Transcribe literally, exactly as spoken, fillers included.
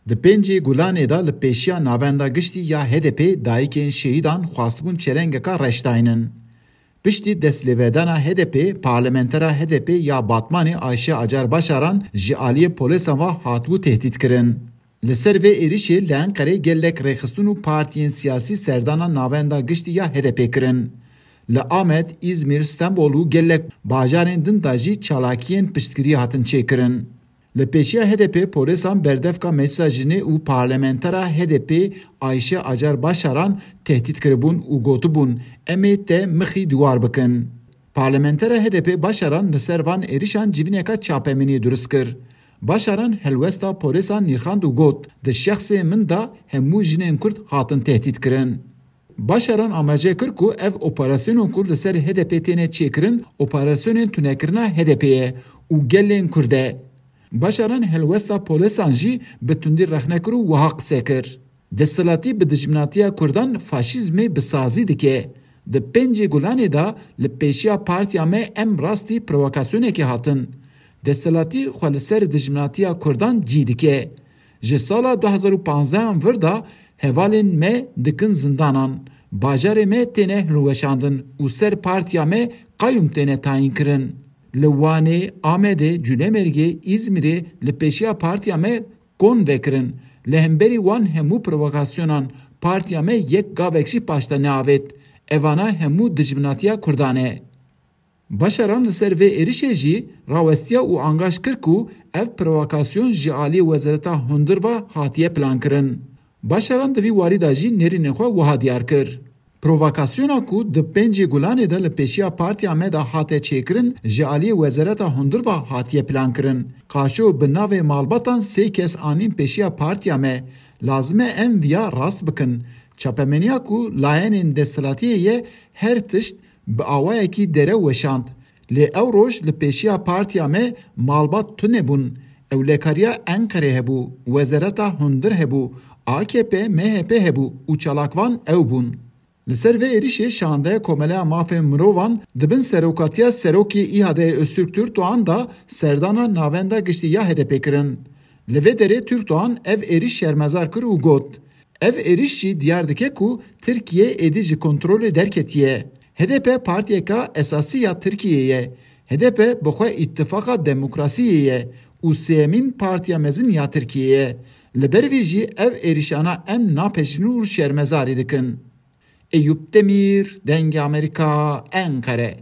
Di pêncê Gulanê de li pêşiya Navenda Giştî ya H D P dayikên şehîdan xwestibûn çelengeka reş daynin. Piştî destlêvedana H D P, parlamentera H D P ya Batmanê Ayşe Acar Başaran ji aliyê polêsan ve hatibû tehdît kirin. Li ser vê êrişê li Enqerê gelek rêxistin û partiyên siyasî serdana Navenda Giştî ya H D P kirin. Li Amed, Îzmîr, Stenbol û gelek bajarên din de jî çalakiyên piştgirî hatin çêkirin. Li pêşiya H D P polêsan berdevka Meclisa Jinê û parlamentera H D P Ayşe Acar Başaran tehdît kiribûn û gotibûn, "Em ê te mixî diwar bikin." Parlamentera H D P Başaran li ser van êrişan civîneka çapemeniyê durist kir. Başaran helwesta polêsan nirxand û got, "Di şexsê min de hemû jinên Kurd hatin tehdît kirin." Başaran amaje kir ku ev operasyonên ku li ser H D P têne çêkirin, operasyonên tunekirina H D P ye û gelên Kurd e. Başaran helwesta polêsan jî bi tundî rexne kir û wiha qise kir, "Desthilatî bi dijminatiya Kurdan faşîzmê bi sazî dike. Di pêncê Gulanê de li pêşiya partiya me em rastî provokasyonekê hatin. Desthilatî xwe li ser dijminatiya Kurdan cî dike. Ji sala du hezar û panzdeh an vir de hevalên me dikin zindanan. Bajarê me têne hilweşandin û ser partiya me qayûm têne tayîn kirin. Li Wanê, Amedê, Cûlemêrgê, Îzmîrê li pêşiya partiya me kon vekirin. Li hemberî wan hemû provokasyonan partiya me yek gavek jî paşta neavêt. Evana hemû dijminatiya Kurdan e." Başaran li ser vê êrişê jî rawestiya û angaş kir ku ev provokasyon ji aliyê Wezareta Hundir ve hatiye plankirin. Başaran di vî warî de jî nêrînên xwe wiha diyar kir, "Provokasyona ku di pêncê Gulanê de li pêşiya partiya me de hate çêkirin, ji aliyê Wezareta Hundir ve hatiye plankirin. Qaşo bi navê malbatan sê kes anîn pêşiya partiya me. Lazim e em viya rast bikin. Çapemeniya ku layenên desthilatiyê ye, her tişt bi awayekî derew weşand. Lê ew roj li pêşiya partiya me malbat tune bûn. Ewlekariya Enqerê hebû, Wezareta Hundir hebû, A K P, M H P hebû û çalakvan ew bûn." Li ser vê êrişê şandeya Komeleya Mafên Mirovan di bin serokatiya serokê İHA'dê Öztürk Türkdoğan de serdana Navenda Giştî ya H D P kirin. Li vê derê Türkdoğan ev êriş şermezar kir û got, "Ev êriş jî diyar dike ku Tirkiye êdî ji kontrolê derketiye. H D P partiyeka esasî ya Tirkiyeyê ye. H D P bi xwe îtifaqa demokrasiyê ye û sêyemîn partiya mezin ya Tirkiyeyê ye. Li ber vî jî ev êrişana em napejînin û şermezarî dikin." Eyûp Demîr, Dengê Amerîka, Enqere.